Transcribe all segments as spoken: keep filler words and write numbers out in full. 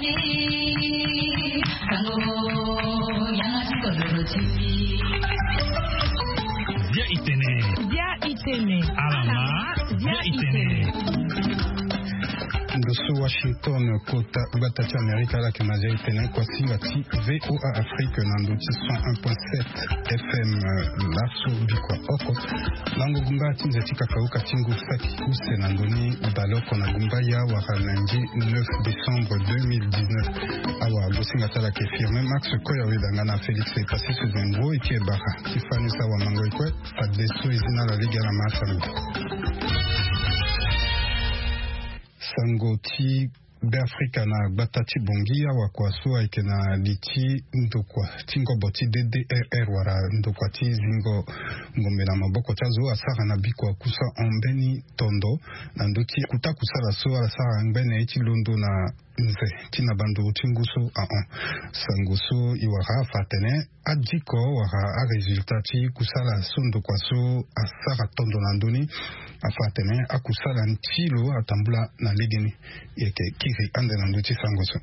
Bia itene. Bia itene. Alama. Bia itene. Ndo so Washington, kota gbata ti Amerika, ala yeke na Bia itene, kuasinga ti VOA Afrique na ndo ti cent un point sept FM. Laso bikua oko, lango gumba ti nze ti kakauka ti ngu saki use na ndoni baleoko na gumba ya wara lundi neuf décembre deux mille dix-neuf. Awa gosinga ti ala ayeke Firmin Max Koya, weda nga na Félix Epassis Zengro, eke bara ti fani sa wa mango ekue. Fadeso e zi na ala lege ala ma asango. Sango ti Beafrika na gbata ti Bangui, awa kua so ayeke na li ti ndokua ti ngobo ti DDRR wala ndokua ti zingo ngombe na maboko ti azo asara na bikua kusa hon mbeni tondo na ndö ti kuta kusala so ala sara ngbene ye ti londo na nze ti na banduru ti ngu so ahon. Sango so e wara afa atene adiko wala arésultat ti kusala so ndokua so asara tondo na ndö ni afa atene akusala ti lo atambula na legeni. E yeke kiri ande na ndö ti sango so.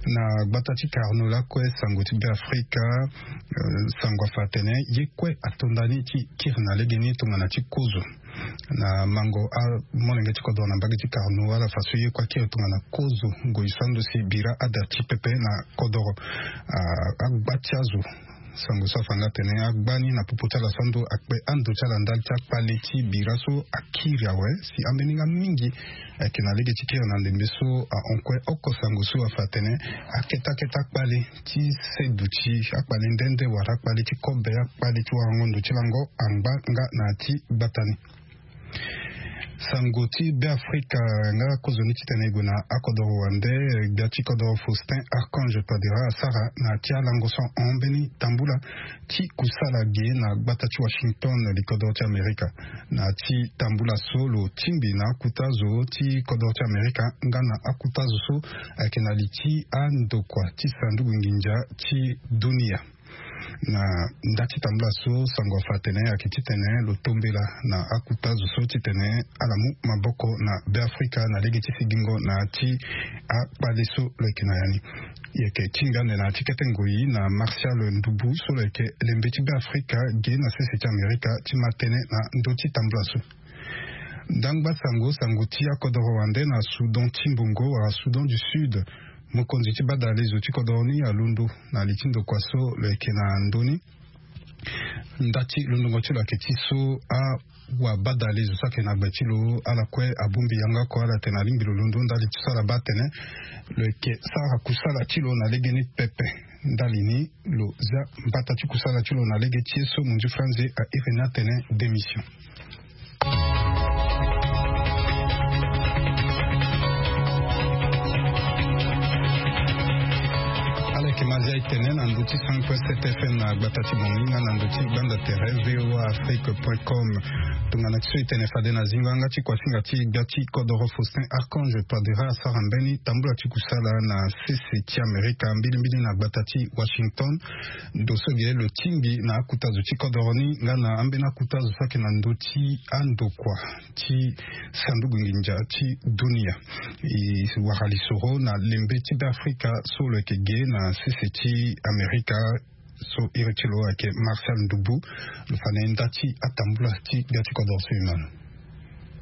Na gbata ti Carnot lakue, sango ti Beafrika, eh, sango afa atene ye kue ato ndani ti kiri na legeni tongana ti kozo. Na mango amolenge ti kodoro na mbage ti Carnot, ala fa so ye kue akiri tongana kozo ngoi so ando si bira ada ti pepe na kodoro. Ah, agba ti azo, sango so afa nga atene agba ni na popo ti ala so ando akpe ando ti ala ndali ti akpale ti bira so akiri awe si ambeni nga mingi ayeke na lege ti kiri na ndembe so ahon kue oko. Sango so afa atene akete akete akpale ti seduti, akpale nde nde wala akpale ti kobe, akpale ti warango ndo ti lango angba nga na ya ti gbata ni. Sango ti Beafrika nga kozoni titene e gue na akodoro wande, gbia ti kodoro Faustin Archange Touadéra asara na ya ti alango so ahon mbeni tambula ti kusala ge na gbata ti Washington, likodoro ti Amerika. Na ya ti tambula so lo tingbi na akuta zo ti kodoro ti Amerika nga na akuta zo so ayeke na li ti andokua ti sanduku nginza ti dunia. Na nda ti tambula so sango afa atene ayeke titene lo tombela na akuta zo so titene ala mu maboko na Beafrika na lege ti sigingo na ya ti akpale so lo yeke na ya ni. E yeke tingbi ande na ya ti kete ngoi na Martial Ndubu so lo yeke lembe ti Beafrika ge na sese ti Amerika ti ma tënë na ndö ti tambula so. Ndangba sango, sango ti akodoro wande na Soudan ti mbongo wala Soudan du Sud. Mokonzi ti badalezo ti kodoro ni alondo na li ti ndokua so lo yeke na ndö ni. Nda ti londongo ti lo ayeke ti so awabadalezo so ayeke na gbe ti lo ala kue abongbi yanga oko, ala tene alingbi lo londo ndali ti so ala baa atene lo yeke sara kusala ti lo na legeni pepe. Ndali ni lo zia mbata ti kusala ti lo na lege ti ye so monzi franze a iri ni atene démission. Ala yeke ma zia e tene na ndö ti cent point sept FM na gbata ti Bangui nga na ndö ti gbanda tere voa afrique point com. Tongana ti so e tene fade na zingo yanga ti kuasinga ti gbia ti kodoro Faustin Archange Touadéra asara mbeni tambula ti kusala na sese ti Amerika, mbilimbili na gbata ti Washington. Ndo so ge lo tingbi na akuta zo ti kodoro ni nga na ambeni akuta zo so ayeke na ndö ti andokua ti sanduku nginza ti dunia. E wara lisoro na lembe ti Beafrika so lo yeke ge na sese ti Amerika. So iri ti lo ayeke Martial Ndubu. Lo fa na e nda ti atambula ti gbia ti kodoro so e ma lo.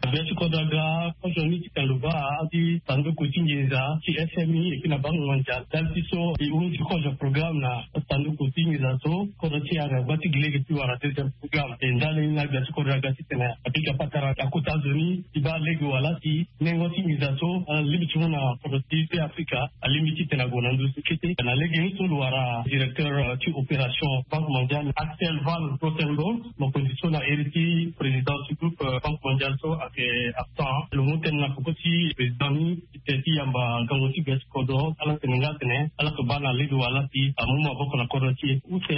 Gbia ti kodoro aga kozo ni titene lo baa ti sanduku ti nginza ti F M I et puis na Banque mondiale ndali ti so e hunzi kozo programme na sanduku ti nginza so kodoro ti e aga gba ti gi lege ti wara deuxième programme. E ndali ni na gbia ti kodoro aga titene apika patara akuta zo ni ti baa lege wala ti nengo ti nginza so alingbi ti mu na kodro ti Beafrika alingbi titene ague na ndö so kete. Na lege ni so lo wara directeur ti opération Banque mondiale Axel Van Grotenborg, mokonzi so na iri ti président ti groupe Banque mondiale so ayeke absent. Lo mu tënë na peko ti président ni ti tene ti yamba gango ti gbia ti kodro, ala tene nga atene ala yeke baa na lege wala ti amu maboko na kodro ti e. Use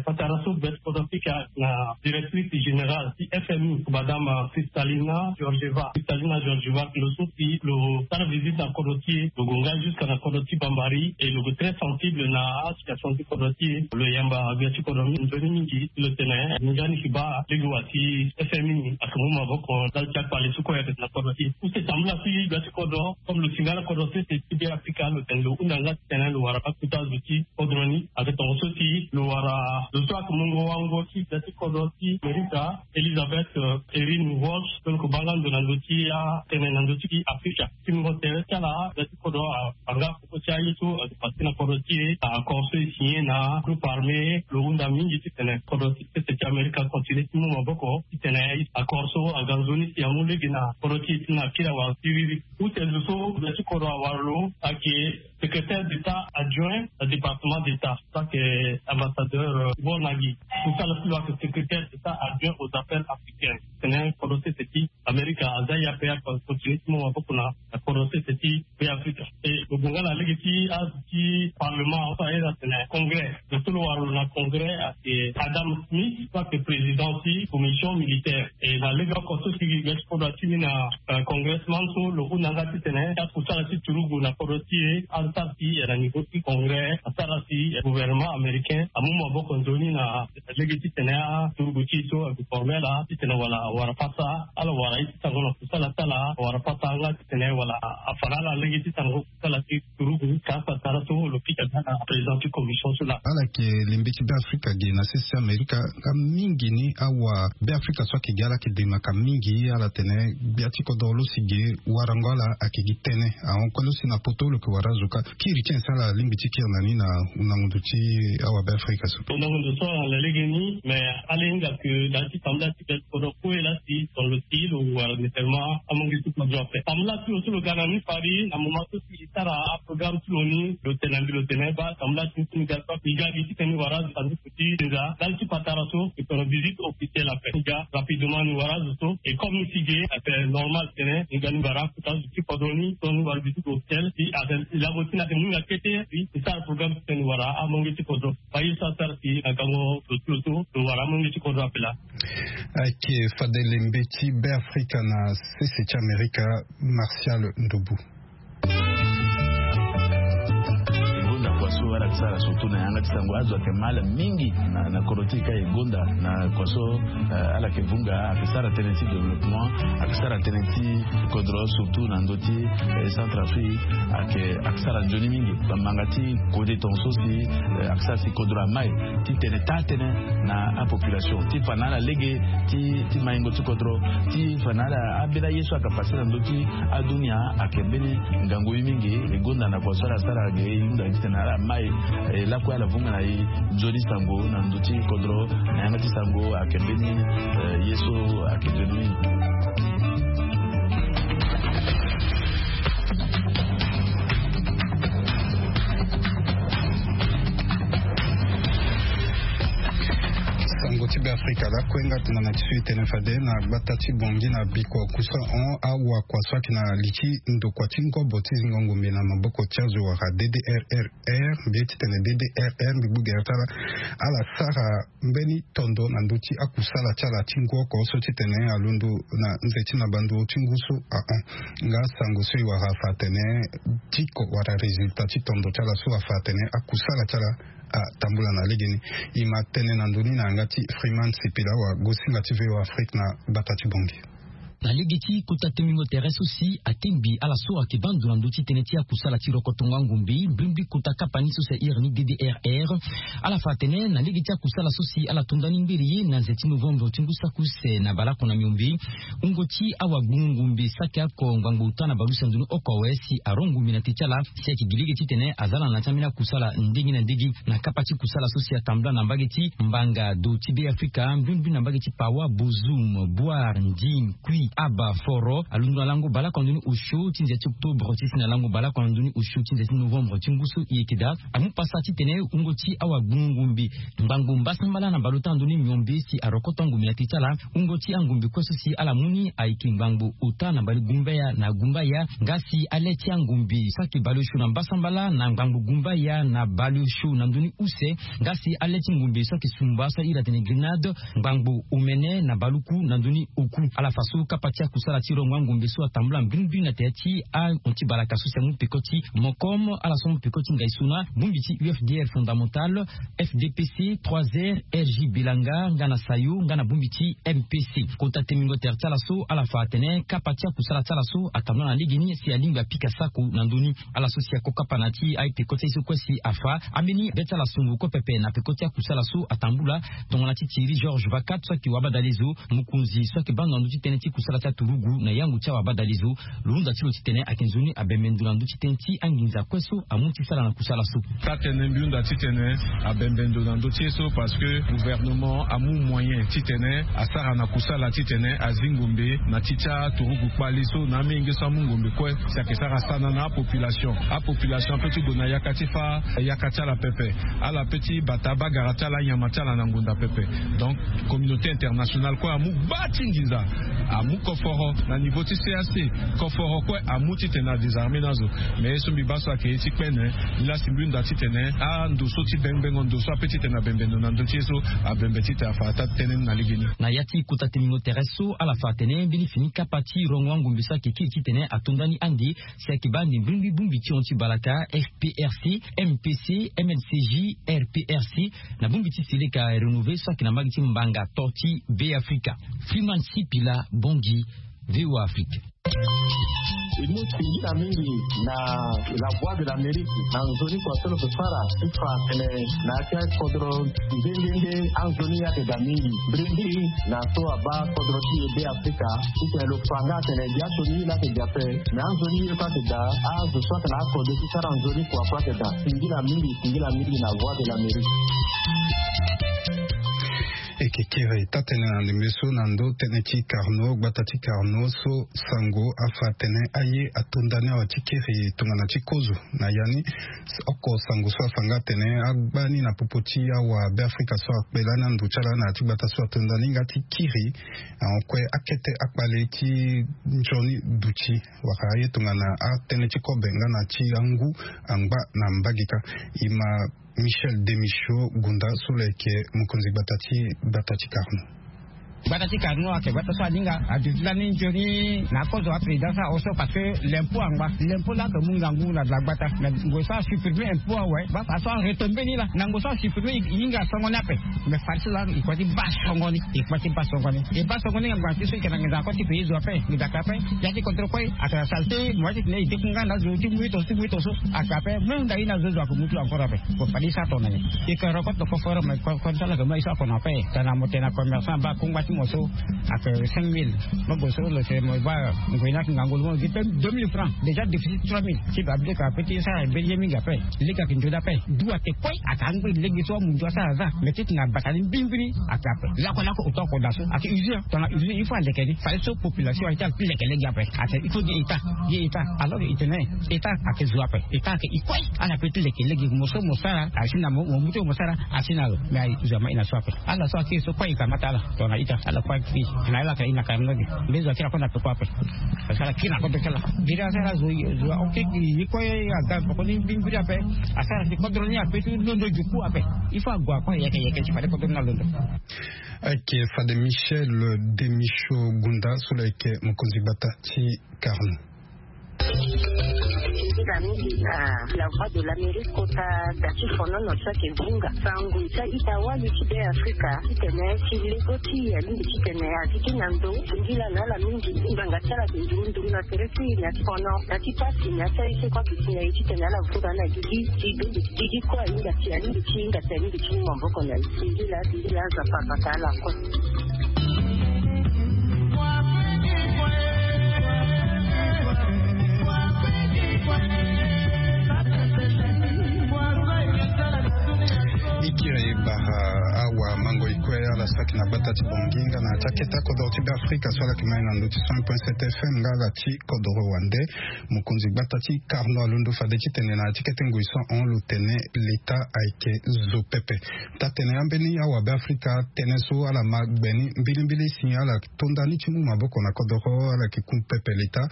patara so gbia ti kodro Afrika na directrice générale ti F M I, madame Kristalina Georgieva. Kristalina Georgieva lo so si lo sara visite na kodro ti e, lo gue nga jusqu'à na kodro ti Bambari et lo gue très sensible na asituation ti kodro ti e. Lo yamba gbia ti kodro ni nzoni mingi ti lo tene nzoni ayeke baa lege wa ti F M I ayeke mu maboko ndali ti akpale. Ye so kue ayeke na kodro ti e. Use tambula ti gbia ti kodro comme lo si nga na kodro sese ti Be Afrika lo tene lo hunda nga titene lo wara akuta zo ti kodro ni. Ayeke tongaso si lo wara zo so ayeke mungo wango ti gbia ti kodro ti Amerika, Elizabeth Erin Walsh, so lo yeke baa nga ndo na ndö ti atene na ndö ti Afrika. Ti mungo tere ti ala gbia ti kodro abaa nga koko ti aye so ayeke pase na kodro ti e. Accord so e signé na groupe armé lo hunda mingi titene kodro ti sese ti Amerika acontinué ti mu maboko titene accord so aga nzoni si amu lege na kodro ti e ti na kiri awara siriri. Use zo so gbia ti kodro awara lo ayeke secrétaire d'état adjoint na département d'état so ayeke ambassadeur Bornagi. Kusala ti lo ayeke secrétaire d'état adjoint aux affaires africaines. Tene kodro sese ti Amerika aza ye ape acontinué ti mu maboko na kodro sese ti Be Afrika. E lo gue nga na lege ti azo ti parlement so aye na tene congrès. Lo so lo wara lo na congrès ayeke Adam Smith so ayeke président ti commission militaire. E na lege oko so si gbia ti kodro atini na congressman so lo hunda nga titene akusala ti turugu na kodro ti e asara si na niveau ti congrès asara si gouvernement américain amu maboko nzoni na lege titene aturugu ti e so ayeke formel titene wala awara pasa ala wara ye ti sango na kusala ti ala awara pasa nga titene wala afa na ala lege ti sango kusala ti turugu. Ka patara so lo pika nga na président ti commission so laa. Ala yeke lembe ti Be Afrika ge na sese ti Amerika. Nga mingi ni awa Be Afrika so ayeke ge ala yeke demaka mingi ala tene gbia ti kodro lo si ge warango ala ayeke gi tënë. Ahon kue lo si na poto lo yeke wara azo kâ. Kiri ti nyen si ala lingbi ti kiri na ni na hundango ndo ti awa Be Afrika so? Hundango ndo so ala na lege ni mais ala hinga ke na ya ti tambula ti gbia ti kodro kue laa si ton lo si lo wara nécessairement amonge ti kodro ape. Tambula ti lo so lo ga na ni fari na moment so si e sara aprogramme ti lo ni lo tene na mbi lo tene baa tambula ti ni so ni ga so e ga gi titene ni wara azo sanduku ti nza ndali ti patara so e tene visite officielle ape. E ga rapidement ni wara azo so e comme ni si ge ayeke normal tene ni ga ni wara akuta azo ti kodro ni so ni wara visite officielle si ayeke lango ti ni ayeke ni nga kete si e sara programme titene ni wara amonge ti kodro. Baa ye so asara si na gango lo ti lo so lo wara amonge ti kodro ape laa. Ayeke fade lembe ti Be Afrika na sese ti Amerika, Martial Ndubu. E gonda kua so ala yeke sara surtout na yanga ti sango azo ayeke mal mingi na, na kodro ti e ka e gonda na kua so, eh, ala yeke vunga ayeke sara tënë ti développement, ayeke sara tënë ti kodro surtout na ndö ti, eh, Centrafrique ayeke, ayeke sara nzoni mingi. Bamanga ti kode tongaso si, eh, ayeke sara si kodro amai titene taa tënë na apopulation ti fa na ala lege ti, ti maingo ti kodro ti fa na ala abela ye so ayeke pase na ndö ti adunia ayeke mbeni ngangu ye mingi. E gonda na kua so ala sara ge e hunda titene ala mai, eh, lakue ala vunga na e nzoni sango na ndö ti kodro na yanga ti sango ayeke mbeni, eh, ye so ayeke nzoni mingi. Sango ti Be Afrika lakue nga tongana ti so e tene fade na gbata ti Bangui na bikua kusa hon awakua so ayeke na li ti ndokua ti ngobo ti zingo ngombe na maboko ti azo wala D D R R R mbi ye titene D D R R mbi gbu gere ti ala ala sara mbeni tondo na ndö ti akusala ti ala ti ngu oko so titene alondo na nze ti na banduru ti ngu so ahon. Nga sango so e wara afa atene diko wala résultat ti tondo ti ala so afa atene akusala ti ala atambula na legeni. E ma tene na ndoni na yanga ti Freeman Sipila wa gosinga ti V O A Afrique na gbata ti Bangui. Na lege ti kota tengbingo tere so si atengbi ala so ayeke baa ndo na ndö ti tënë ti akusala ti rokotongo angombe mbrimbri kota kapa ni so si ahiri ni D D R R. Ala fa atene na lege ti akusala so si ala to ndani ngbere ye na nze ti novembre ti ngu saki use na baleoko na miombe, wungo ti awagbungu ngombe saki oko ngbangbo ota na baleuse na ndoni oko awe si arongo ngombe na te ti ala si ayeke gi lege titene aza na na ti ambeni akusala ndenge na ndenge. Na kapa ti kusala so si atambula na mbage ti mbanga do ti Be Afrika mbrimbri na mbage ti Pawa, Bozoum, Bouar, Ndim, Kui, Aba, Foro alondo na lango baleoko na ndoni osio ti nze ti octobre ti si na lango baleoko na ndoni osio ti nze ti novembre ti ngu so e yeke daa. Amu pasa titene wungo ti awagbungu ngombe ngbangbo mbasambala na baleota na ndoni miombe si arokoto angombe na te ti ala. Wungo ti angombe kue so si ala mu ni ayeke ngbangbo ota na balegumbaya na gumbaya nga si ale ti angombe so ayeke baleosio na mbasambala na ngbangbo gumbaya na baleosio na ndoni use nga si ale ti ngombe so ayeke sumba so ahiri atene grenade ngbangbo omene na baluku na ndoni oku. Ala fa so Kapa ti akusala ti rongo angombe so atambula mbirimbiri na tere ti ahon ti balaka so si amu peko ti mokom, ala so amu peko ti ngai so na bongbi ti ufdr fondamental, fdpc trois r, rg bilanga nga na sayo nga na bongbi ti mpc. Kota temingo tere ti ala so ala fa atene kapa ti akusala ti ala so atambula na legeni si alingbi apika sako na ndoni. Ala so si ako kapa na ti aye peko ti aye so kue si afa ambeni be ti ala songo kue pepe na peko ti akusala so atambula. Tongana ti thierry georges vacat so ayeke wabadale zo, mokonzi so ayeke bando na ndö ti tënë ti kusala ti aturugu na yango ti awabadale zo, lo hunda ti lo titene ayeke nzoni abembe ndo na ndö ti tënë ti anginza kue so amu ti sala na kusala so. Taa-tënë mbi hunda titene abembe ndo na ndö ti ye so parce que gouvernement amu moyen titene asara na kusala titene azi ngombe na ti ti aturugu kpali so na amenge so amu ngombe kue. Si ayeke sara sana na apopulation, apopulation ape ti gue na yaka ti fâ yaka ti ala pepe. Ala pe ti bata bagara ti ala anyama ti ala na ngonda pepe. Donc communauté internationale kue amu gba ti nginza, amu koforo na niveau ti cac. Koforo kue amu titene adésarmé ni azo. Mais ye so mbi baa so ayeke ye ti kpene. Nilaa si mbi hunda titene ando so ti bengbengo ndo so ape titene abembe ndo na ndö ti ye so abembe titene afa ata tënë ni na legeni. Na ya ti kota temingo tere so ala fa atene mbeni fini kapa ti rongo angombe so ayeke kiri titene ato nda ni ande. Si ayeke baa ande mbirimbiri bongbi ti hon ti balaka, fprc, mpc, mlcj, rprc, na bongbi ti seleka rénové so ayeke na mbage ti mbanga to ti beafrika. Freeman sipila, bongi, voa afrique. E mu singila mingi na la voix de l'amérique na nzoni kua so lo yeke sara ti fa atene na ya ti akodro nde nde nde anzoni ye ayeke daa mingi. Mbirimbiri na so abaa kodro ti e beafrika titene lo fa nga atene dia sioni ye laa ayeke daa ape. Mais anzoni ye kue ayeke daa azo so ayeke na akode ti sara nzoni kua kue ayeke daa. Singila mingi, singila mingi na voix de l'amérique. E yeke kiri taa-tënë na ndembe so na ndö tënë ti carnot, gbata ti carnot so sango afa atene aye ato nda ni awe ti kiri tongana ti kozo. Na ya ni oko sango so afa nga atene agba ni na popo ti awa beafrika so akpe lani ando ti ala na ya ti gbata so ato nda ni nga ti kiri ahon kue akete akpale ti nzoni duti wala aye tongana atënë ti kobe nga na ti angu angba na mbage kâ. E ma Michel Demichaux Gunda so lo yeke mokonzi gbata ti gbata ti Carnot. Gbata ti Carnot ayeke gbata so aninga aduti lani nzoni na akozo aprésident so ahon so parce que l'impôt angba. L'impôt laa ayeke mu ngangu na gbata. Mais ngoi so asupprimer impôt awe baa fa so aretombe ni laa na ngoi so asupprimer e hinga songo ni ape. Mais fade so laa e kue ti baa songo ni e kue ti baa songo ni e baa songo ni ngangu na ti so e yeke na nginza kue ti pays zo ape nginza ka ape. Ya ti contre kue ayeke na saleté mo ya ti tene e deku nga na azo ti mu ye tongaso ti mu ye tongaso. Ayeke ape même nda ye na azo zo ayeke mu ti lo encore ape. Bon fade e sara tongana nyen? E yeke rencontre na conférence mais conférence ala yeke mu aye so ako na ape. Tongana mo tene na commerçant baa kongba ti mo so ayeke cinq mille. Mo gue so lo tene mo baa ngoi ni ayeke ngangu lo mo gi pe deux mille francs déjà déficit trois mille. Ti baa bileke ape ti sara mbeni ye mingi ape. Lege ayeke nzoni ape. Du ayeke kue ayeke angba lege so amu nzoni asara aza. Mais ti tene abata ni mbirimbiri ayeke ape. Lakolako autant ako daa so ayeke usure tongana usure il faut aleke ni fade so population ayeke ti aleke lege ape. Ayeke il faut gi état gi état alors que e tene état ayeke zo ape. État ayeke e kue ala pe ti leke lege mo so mo sara asi na mo mo mu ti mo sara asi na lo. Mais aye zo ama e na so ape. Ala so akiri so kue e kamata ala tongana ita ala kue akiri na ala ayeke e na kara ni lege. Mbi zo akiri ako na peko ape. Parce que ala kiri na kodro ti ala. Biri asara zo zo akiri ye kue aga peko ni mbirimbiri ape. Asara ti kodro ni ape ti londo juku ape. Il faut ague akue yeke yeke ti fade kodro ni alondo. Ayeke fade Michel Demichaux Gunda so lo yeke mokonzi gbata ti Carnot. Ita mingi na la voix de l'Amérique kota da ti fonono so ayeke vunga sango ti a-ita wali ti be afrika titene ti lego ti alingbi titene azi ti na ndo. Singila na ala mingi ngbanga ti ala ayeke nduru nduru na tere ti e na ti fono na ti pasi na ya ti aye so kue ayeke si na e titene ala vunga na gigi ti bende ti gigi kue ahinga si alingbi ti hinga si alingbi ti mu maboko na e. Singila singila. Nzapa abata ala kue. Ikiri bara awa mango ikue ala saki na gbata ti bongi nga na ti akete akodro ti be afrika so ala yeke mai na ndö ti cent point sept fm nga ala ti kodro wande. Mokonzi gbata ti Carnot alondo fade titene na ya ti kete ngoi so ahon lo tene leta ayeke zo pepe. Taa-tene ambeni awabe afrika tënë so ala ma gbe ni mbilimbili si ala tonda ni ti mu maboko na kodoro ala yeke ku pepe leta.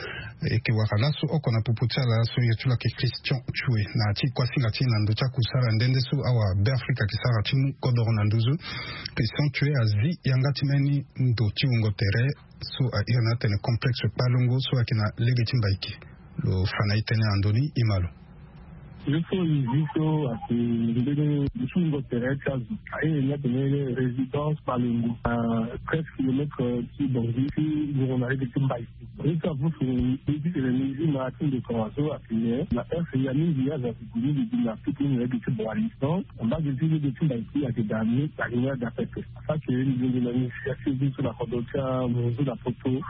E yeke wara laso oko na popo ti ala so ye ti lo ayeke christian tue na ya ti kuasinga ti e na ndö ti akusala nde nde so awabe afrika ayeke sara ti mu kodoro na nduzu. Christian tue azi yanga ti mbeni ndo ti wungo tere. So a iri na atene complexe kpalongo so ayeke na lege ti Mbaiki. Lo fa na e tënë na ndö ni, e ma lo. Ye so e zi so ayeke mbeni dutingo tere ti azo. A iri ni atene résidence kpalongo na treize kilomètre ti Bangui ti wungo na lege ti Mbaiki. Ye so avusu ni ti tene ni zi ma ti ndeko so ayeke nyen na heure ya mingi azo ayeke gue ni li gi na piki ni na lege ti Boali. Donc na mbage ti lege ti Mbaiki ayeke daa ni ayeke nyen daa pepe. Parce que ni zi na initiative ni so na kodro ti amunzu na poto.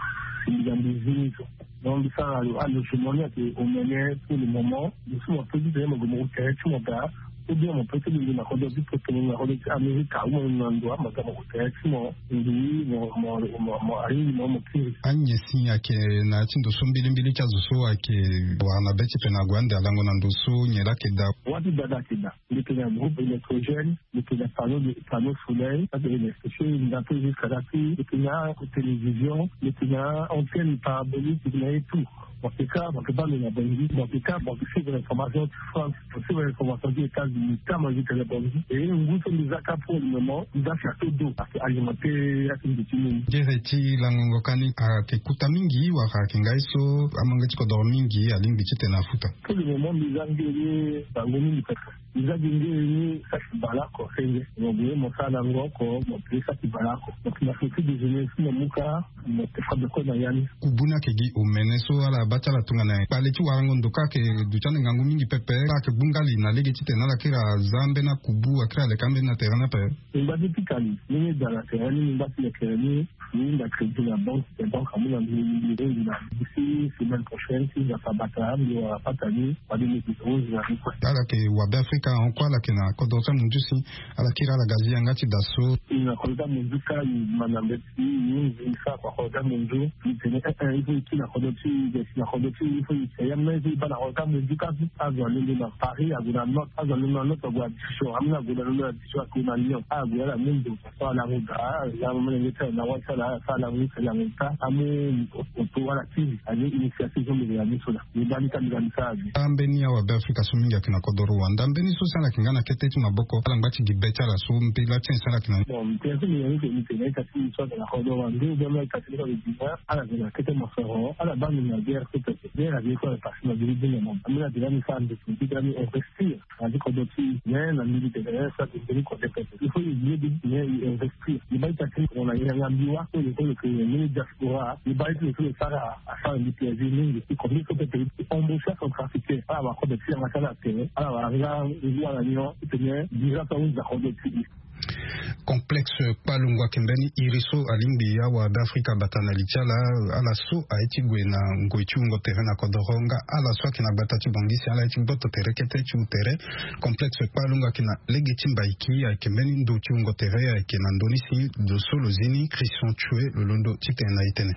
Mbi ga mbi zi ni so. Donc mbi sara lo alogement ni ayeke omene pour le moment. Mbi so mo peut ti tene mo gue mo gue tere ti mo daa. Ou bien mo peut ti lingbi na kodro ti poto, mo na kodro ti Amerika, ou mo na ndo ama ga mo gue tere ti mo. Mbi mo mo mo mo alingbi mo mo kiri. Anyen si ayeke na ya ti ndo so mbilimbili ti azo so ayeke wara na be ti tene ague ande alango na ndo so nyen laa ayeke daa. Wâ ti dada ayeke daa. Mbi yeke na groupe électrogène, mbi yeke na panneau de panneau soleil, ça c'est électricien, mbi na peu jusqu'à la fille, mbi yeke na télévision, mbi yeke na antenne parabolique, mbi yeke na ye tout. Mo yeke kâ mo yeke baa ndo na Bangui, mo yeke kâ mo yeke suivre information ti France, mo suivre information ti États-Unis, kâ mo yeke na Bangui. E ngu so mbi za kâ pour le moment, mbi za château d'eau, ayeke alimenter ya ti mbi ti mini. Gere ti langongo kani ayeke kuta mingi wala ayeke ngai so amange ti kodoro mingi alingbi ti tene afuta. Pour le moment mbi za nge ni bango mingi pepe. Mbi za gi nge ni saki baleoko senge. Mo gue mo sara na ngo oko mo pele saki baleoko. Mo yeke na petit déjeuner si mo mu kâ mo yeke fa beko na ya ni. Kubu ni ayeke gi omene so ala baa ti ala tongana nyen? Kpale ti warango ndo kâ ayeke duti ande ngangu mingi pepe. Ala yeke gbu ngali na lege ti tene ala kiri aza ambeni akubu akiri aleka ambeni na tere ni ape. Mbi ngba ti pika ni ndenge e daa na tere ni, mbi ngba ti leke ni. Mbi hunda crédit na banque, te banque amu na mbi, mbi hunda na mbi si semaine prochaine si Nzapa abata mbi wara pata ni. Wali mbi hunda na mbi kue. Ala yeke wa Beafrika ahon kue, ala yeke na kodro ti amunzu si ala kiri ala ga zi yanga ti da so. E na kodro ti amunzu kâ, e ma na mbeti e hunzi e sara kua kodro ti amunzu. E tene eh eh il faut e kiri na kodro ti e, e si na kodro ti e, il faut e si ya même so e baa na kodro ti amunzu kâ. Azo alondo na Paris ague na note, azo alondo na note ague na Dijon, ambeni ague na londo na Dijon ague na Lyon, ague ala mu ndo. So ala mu daa ala mu molenge ti ala na wâ ti ala ala sara ala mu ti ala mu kâ amu. Oto wala kiri aye initiative so mbi yeke na ni so laa. Mbi baa ni kâ mbi ga mbi sara aye. Ambeni awa Beafrika so mingi ayeke na kodoro wanda mbeni so si ala yeke nga na kete ti maboko ala ngba ti gi be ti ala so mbela ti nyen si ala yeke na ni. Bon mbi tene so mbi yeke ni ke mbi tene ita ti mbi so ayeke na kodoro wanda ou bien mbi ita ti mbi so ayeke dina ala yeke na kete mosoro ala baa mbi na guerre so pepe guerre ayeke so ala pase na biri bini na mama ambeni adela mbi sara mbi ti mbi ti dala mbi investir. Adi kodro ti mais na mbi mbi tene sa ti mbeni kodro pepe il faut e lieu de bien e investir e baa ita ti mo na yanga mbi wâ so e ko lo ke mbeni diaspora e baa ita lo so lo sara asara mbi plaisir mingi e combien so pepe e embaucher acentrafricain ala wara kodro ti yanga ti ala tere ala wara nga ngu ala nyon ti tene dira so ahunzi na kodro ti e. Complexe kpalungu ayeke mbeni iri so alingbi awa Beafrika abata na li ti ala. Ala so aye ti gue na ngoi ti wungo tere na kodoro nga ala so ayeke na gbata ti Bangui si ala ye ti gboto tere kete ti wu tere. Complexe kpalungu ayeke na lege ti Mbaiki ayeke mbeni ndo ti wungo tere ayeke na ndoni si ndo so lo zi ni Christian Tchue lo londo ti tene na e tënë.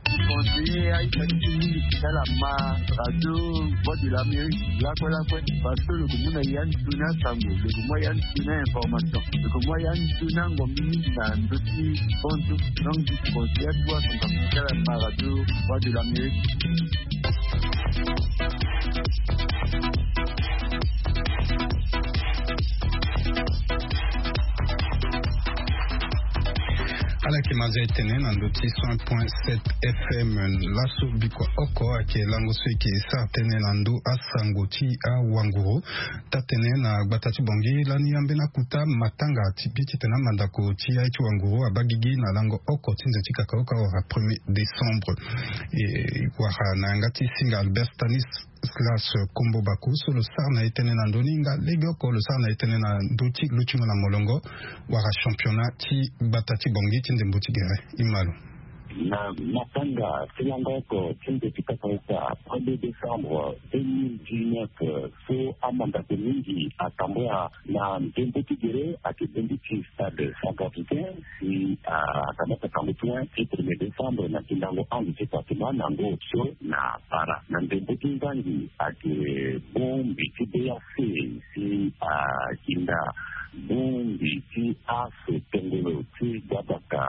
Conseiller aita ti mingi ti ala ma radio Voix de l'Amérique lakue lakue parce que lo ke mu na ya ni tuni asango lo ke mu ya ni tuni information lo ke mu ya ni tuni angombi mingi na ndö ti kontu. Donc conseiller ti wa son kapitala ma radio Voix de l'Amérique. Ala yeke ma zia e tene na ndö ti cent point sept F M. Laso bikua oko ayeke lango so e yeke sara tënë na ndö asango ti awanguru. Taa-tënë na gbata ti Bangui lani ambeni akuta matanga ti bi titene amandako ti aye ti wanguru abaa gigi na lango oko ti nze ti kakaoka wala premier décembre. E wara na yanga ti singa Albert Stanis Slas Kombo Bako so lo sara na e tënë na ndö ni nga legeoko lo sara na e tënë na ndö ti lutingo na molongo wala championnat ti gbata ti Bangui ti ndembo ti gere. E ma lo. Na matanga ti lango oko ti nze ti kakaoka premier décembre deux mille dix-neuf so amandako mingi atambula na ndembo ti gere ayeke bongbi ti stade centrafricain si akamata tango ti win ti premier décembre na tindango ange ti fatima na ngo so na para na ndembo ti nzangi ayeke bongbi ti B A C si akinda bongbi ti aso tongolo ti gbabaka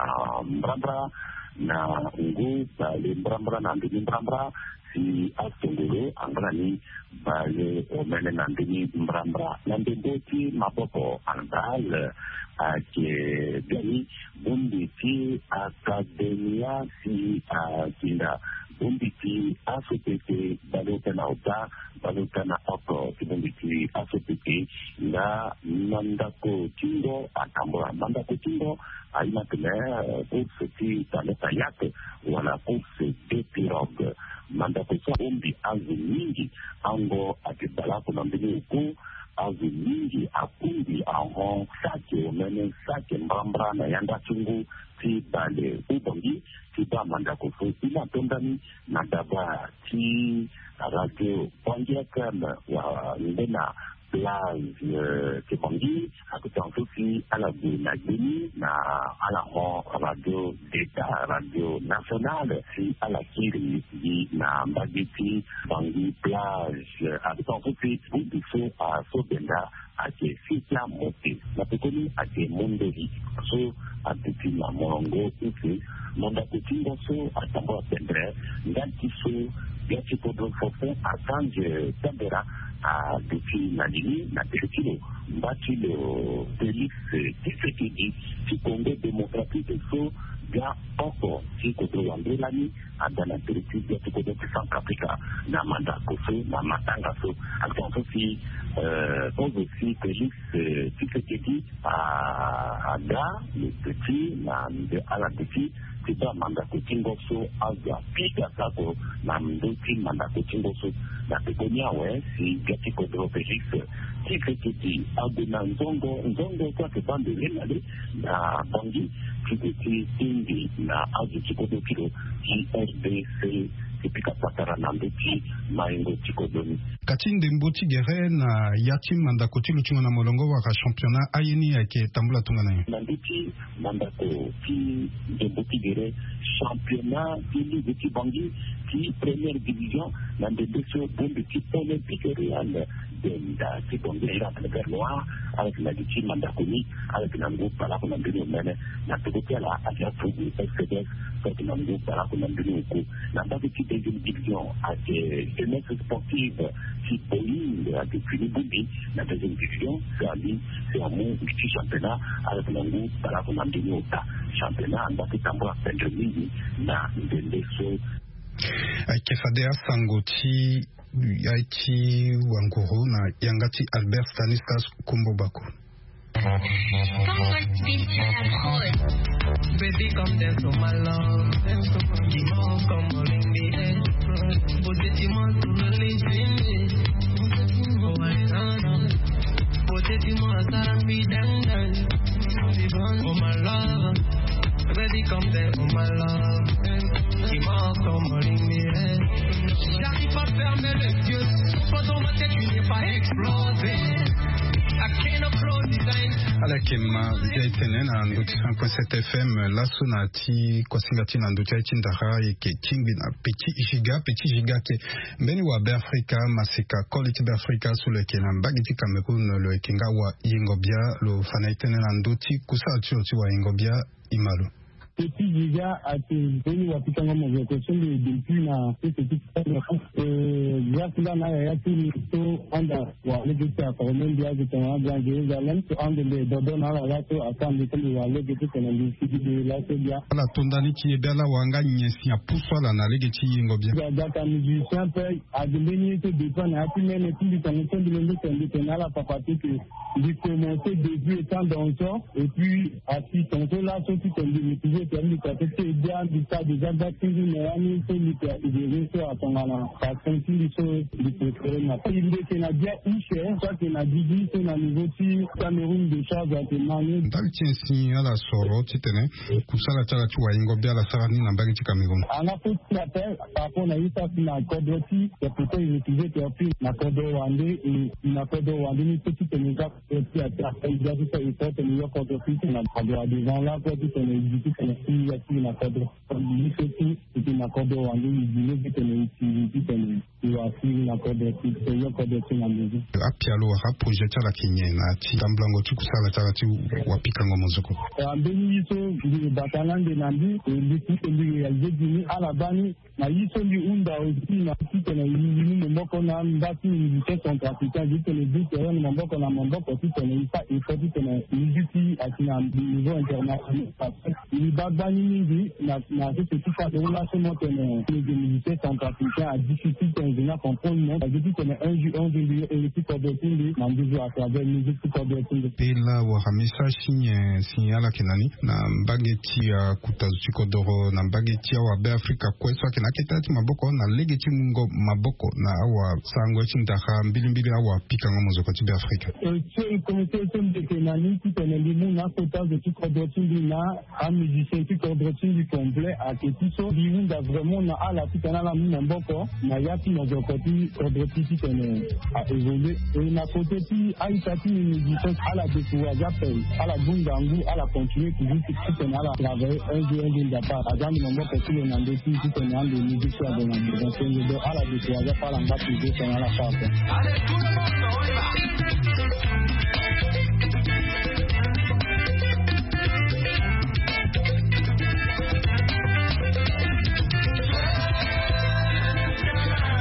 mbrambra na ngu bale mbrambra na ndoni mbrambra. Ti asongolo angba na ni baleomene na ndeni mbrambra na ndembo ti maboko handball. Ayeke biani bongbi ti akademia si akinda bongbi ti asopete baleota na ota baleota na oko ti bongbi ti asopete. Nga mandako ti ngo atambula mandako ti ngo aye na tene course ti tane kayak wala course de pirogue. Mandako so abongbi azo mingi. Ango ake baleoko na mbeni oku azo mingi akungbi ahon sake omene sake mbrambra na yanga ti ngu ti bale ti bangi ti baa mandako so. Ina tondani na daba ti radio bangi fm wa nde na plage ti bangi. Akotan so si ala gue na gbeni na ala hon radio d'état radio nationale si ala kiri gi na mbage ti bangi plage. Akotan so si bongbi so aso benda ake sikia mote na pekoni ake mondoli so aduti na molongo use. Mondako ti ngo so atambula pendre nda ti so bia ti kodro forfait archange tambera aduti na lili na tere ti lo mba ti lo félix tisekedi ti congo démocratique so bia oko ti kodro wande lani ada na tere ti bia ti kodro ti centre africa na mandako so na matanga so. Akotan so si kozo si félix tisekedi aga le petit na mbe ala petit ti baa mandako ti ngo so azo apika sako na ndö ti mandako ti ngo so. Na pekoni awe si bia ti kodro félix tisekedi ague na nzongo nzongo so ake baa mbele na le na bangi ti gue ti tingbi na azo ti kodro ti lo ti rdc ti pika patara na ndö ti maingo ti kodro ni. Kati ndembo ti gere na ya ti mandako ti lutingo na molongo wala championnat aye ni ayeke tambula tongana nyen? Na ndö ti mandako ti ndembo ti gere championnat ti ligue ti bangi ti première division na ndembe so bombe ti olympique real denda ti bangi ira na le vert noir. Avec na li ti mandako ni avec na ngu balaku na mbeni omene na toko ti ala ake afugu fcds. Avec na ngu balaku na mbeni oku na mbage ti deuxième division ake jeunesse sportive ti boeing ake fini bongbi na deuxième division. Si ali si amu mbi ti championnat avec na ngu balaku na mbeni ota championnat anda ti tambula pendre mingi na ndende so. Ayeke fade asango ti ya ti wanguru na yanga ti albert stanislas kumbo bako. Baby, come dance for my love. Give more, come on, in the air. Put it in my to the living. Oh, I don't know. Put it in my side, me down, down. For my love. Baby, come dance for my love. Dis-moi comment il est. J'arrive pas à fermer les yeux. Pendant ma tête, tu n'es pas explosé. I cannot close his eyes. Ala yeke ma ndia etene na ndo ti cinq point sept fm laso na ti kosinga ti na ndo ti aye ti ndara ayeke tingbi na petit giga petit giga ake mbeni wa be afrika masika koli ti be afrika so lo yeke na mbage ti cameroun lo yeke nga wa yengo bia lo fa na etene na ndo ti kusala ti lo ti wa yengo bia. Imalo. Petit giga ate mbeni wa pikango mozoko so mbi depuis na sese ti grâce nga na yaya ti mbi so anda wa lege ti akoro me mbi azo tongana grand jérusalem so ande mbi dodo na ala laso aka mbi so mbi wa lege ti tene mbi sigi de laso bia. Ala to ndani ti ye be ala wanga nyen si apusu ala na lege ti yengo bia. Aga ka musicien pe ade mbeni ye so dépend na ya ti mene ti mbi tongo so mbi lenge tene mbi tene ala papa ti ke mbi commence début étant danseur. Et puis asi tonso laso ti tene mbi réfugié ti mbi kate ti e bia mbi sa déjà gba ti ngu na ya ni so mbi ti asidere so atongana passion ti mbi so mbi préféré na ti mbi eke na bia use so ake na didi so na niveau ti cameroun de charge ake mani. Ndali ti nyen si ala soro titene kusala ti ala ti wayengo bia ala sara ni na mbage ti cameroun? Anga fo ti la pe par rapport na ye so asi na kodro ti ya pourtant e réfugié ti api na kodro wande e na kodro wande ni so titene ga. Eti ati afa ida ti so e so tene yo koto ti tene ado adevant la ko ti tene e di ti tene Ti ya ti na kodro. Li so ti e ti na kodro wande e dine titene e ti titene e wa ti na kodro ti e yo kodro ti na ndozi. Apialo wala projet ti ala ayeke nyen na ti tamblango ti kusala ti ala ti wapikango mozoko? Ambeni ye so mbi bata na ande na mbi e mbi ti mbi réalisé dini ala baa ni. Na ye so mbi hunda aussi na titene e iri ni maboko na mba ti musicien centrafricain titene e bute ni maboko na maboko titene e fa effort titene musique ti ayeke na niveau international. Mbi baa gbani mingi na na sese ti fa de laso mo tene mbi musicien centrafricain a difficile titene mbi na comprendre mo parce que titene un jour un jour mbi yo iri ti kodro ti mbi na nduzu à travers musique ti kodro ti mbi. Pe laa wala message ti nyen si ala yeke na ni na mbage ti akuta zo ti kodoro na mbage ti awabe afrika kue so ayeke na akete ti maboko na lege ti mungo maboko na awasarango ti ndara mbilimbili awapikango mozoko ti be afrika. E so e komite so mbi yeke na ni titene mbi mu na akota zo ti kodro ti mbi na amusicien ti kodro ti mbi complet ayeke ti so mbi hunda vraiment na ala titene ala mu maboko na ya ti mozoko ti kodro ti titene a évolué. E na kote ti aita ti mbi mbi so ala découragé ape, ala bunda ngu, ala continué toujours titene ala travaillé un jour un jour ndapa aza mbi maboko ti lo na ndö ti titene ande musique so ague na ndö. Donc donc ala découragé ape, ala ngba toujours titene ala sara ape.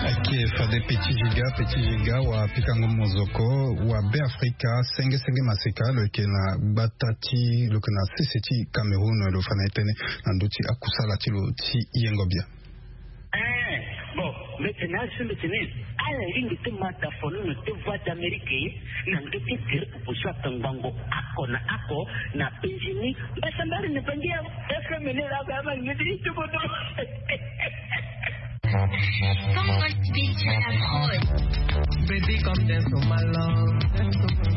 Ake fade petit giga petit giga wa pikango mozoko wa be afrika senge senge maseka lo yeke na gbata ti lo yeke na sese ti cameroun lo fa na ye tënë na ndö ti akusala ti lo ti yengo bia. Eh, bon, mbete na azo mbete ni ala lingbi ti ma tafono na te voix d'amérique na ndö ti gere popo so atangbango ako na ako na penzi ni. Mbasambari na bangi ya fm ni la ba ma ngedi ti bodo. Baby, come dance for my love.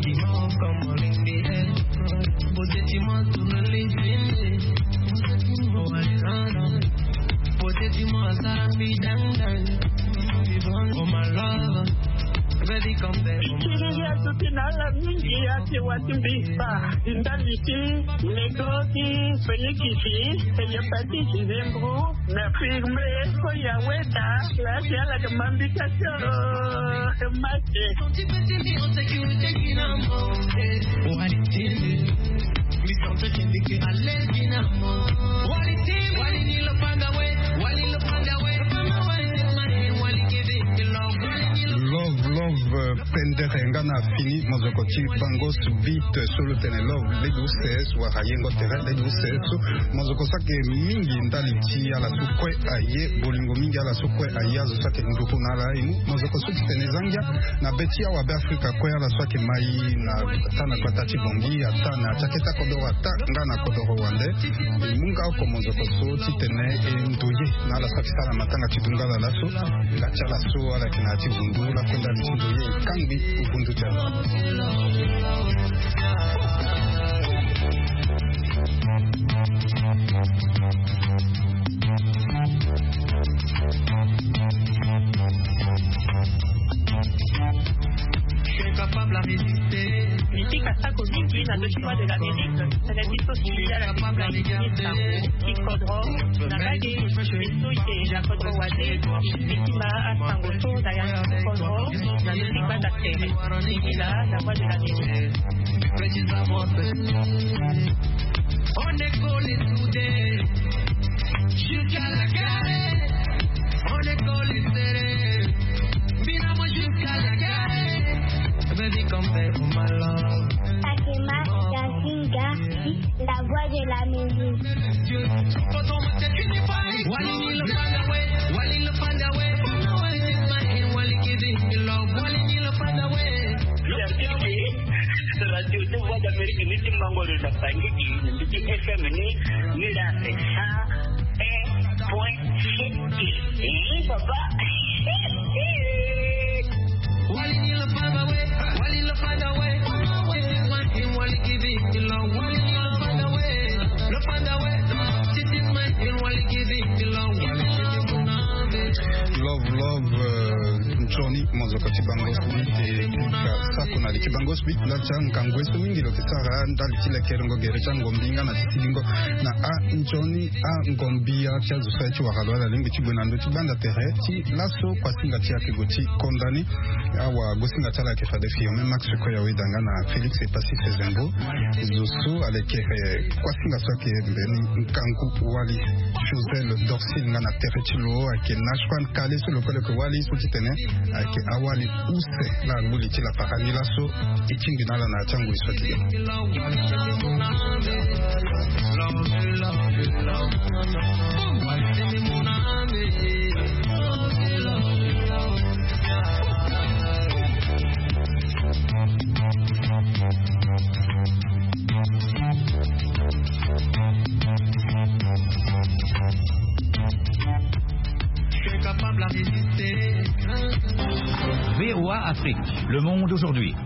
Dis-moi comment ring the head. Beauté, dis-moi tout le living. Beauté, dis-moi ça, be down, down. For my love. Baby, come dance for my love. Kiri ya tuti na ala mingi ya ti wati mbi pa. Ndali ti lego ti fenikisi. Eyepatisi zembro. Na firme ko ya weta. Lasi ala ke mambika tio. Mate. Love love, pendere nga na fini mozoko ti bango subite so lo tene love lege use so wala yengo tere lege use so. Mozoko so ayeke mingi ndali ti ala so kue aye bolingo mingi ala so kue aye azo so ayeke nduru na ala aye mu mozoko so ti tene za ngia na be ti awabe afrika kue ala so ayeke mai na ata na gbata ti bongi ata na ti akete akodoro ata nga na kodoro wande. E mu nga oko mozoko so ti tene e ndoye na ala so ayeke sara na matanga ti dungala laso. Nga ti ala so ala yeke na ya ti vundu lakue ndali ti ndoye e kangbi vundu ti ala. Mitika sako mingi na ndö ti voix de l'amérique. Tene biso si ala ti kodro na lage. Biso ye na kodro wade. Bitima asango so na yanga ti kodro. Na ndö ti gbanda tere. Singila na voix de l'amérique. On est collé soudés jusqu'à la gare. On est collé serré. Bina moi jusqu'à la gare. Baby, come back for my love. Fatima Yasinga, la voix de la musique. Radio de voix d'amérique ni ti mangoro na bangi gi ni mbiti fm ni. Ni la sa un point sept. Papa. Love love, nzoni mozoko ti bango ni te. Ka sako na Aliki bango spi ndali ti angangwe so mingi lo yeke sara ndali ti lekerengo gere ti angombi nga na ti silingo na anzoni angombi ya ti azo so aye ti wara lo ala lingbi ti gue na ndö ti gbanda tere ti laso kuasinga ti ayeke gue ti konda ni. Awa gosinga ti ala ayeke fade firme Max Koya Weda nga na Félix Epassi Fezembo. Zo so aleke kuasinga so ayeke mbeni nkangu wali Josel Dorsil nga na tere ti lo ayeke Nashwan Kale so lo kue lo yeke wali so ti tene ayeke awali use la nguli ti lapara ni laso. E tingbi na ala na ya ti angoi so ti gene. V O A Afrique, le monde aujourd'hui.